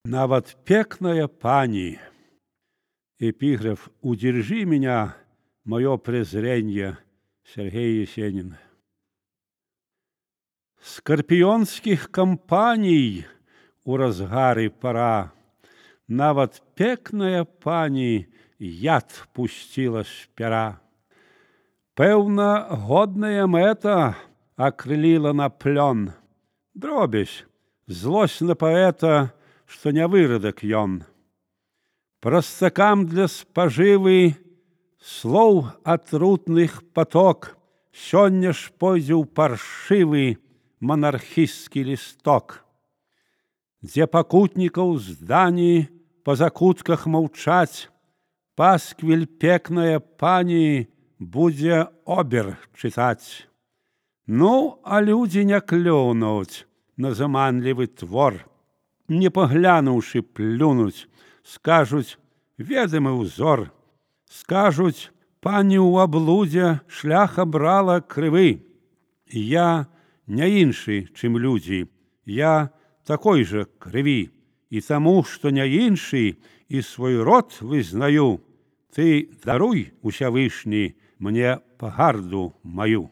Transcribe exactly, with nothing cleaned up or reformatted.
Нават пекная пани. Эпиграф «Удержи меня, мое презренье» Сергей Есенин. Скорпионских кампаний у разгары пора. Нават пекная пани яд пустила з пера. Пэўна, годная мэта акрыліла на плён. Дробязь, злосць на паэта, што не вырадак ён. Прастакам для спажывы слоў атрутных паток сёння ж пойдзе ў паршывы манархісцкі лісток, дзе пакутнікаў здані па закутках маўчаць, пасквіль пекная пані будзе обер чытаць. Ну, а людзі не клюнуць на заманлівы твор, не паглянуўшы плюнуць, скажуць ведамы ўзор, скажуць пані ў аблудзе шлях абрала крывы. Я не іншы, чым людзі, я такой жа крыві, і таму, што не іншы і свой род вызнаю, ты даруй, усявышні, мне пагарду маю.